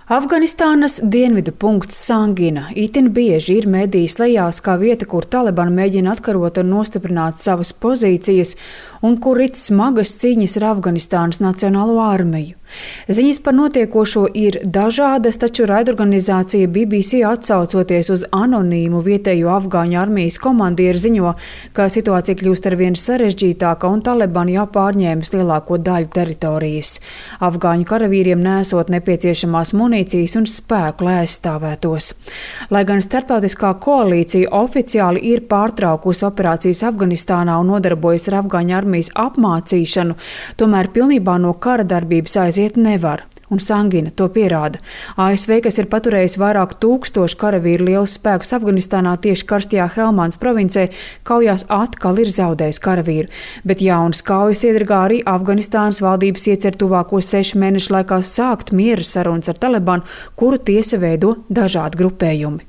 Afganistānas dienvidu punkts Sangina itin bieži ir medijas lejās kā vieta, kur Taliban mēģina atkarot un nostiprināt savas pozīcijas un kur rit smagas cīņas ar Afganistānas Nacionālo armiju. Ziņas par notiekošo ir dažādas, taču raidorganizācija BBC atsaucoties uz anonīmu vietējo afgāņu armijas komandieru ziņo, ka situācija kļūst arvien sarežģītāka un Taliban jau pārņēmis lielāko daļu teritorijas. Afgāņu karavīriem nesot nepieciešamās munīcijas un spēku, lai aizstāvētos. Lai gan starptautiskā koalīcija oficiāli ir pārtraukusi operācijas Afganistānā un nodarbojas ar afgāņu armijas apmācīšanu, tomēr pilnībā no kara darbības aiziet nevar. Un Sangina to pierāda. ASV, kas ir paturējis vairāk tūkstošu karavīru lielus spēkus Afganistānā tieši karstajā Helmandas provincē, kaujās atkal ir zaudējis karavīru. Bet jaunas kaujas iedragā arī Afganistānas valdības iecer tuvāko 6 mēnešu laikā sākt miera sarunas ar Talibanu, kuru tiesa veido dažādi grupējumi.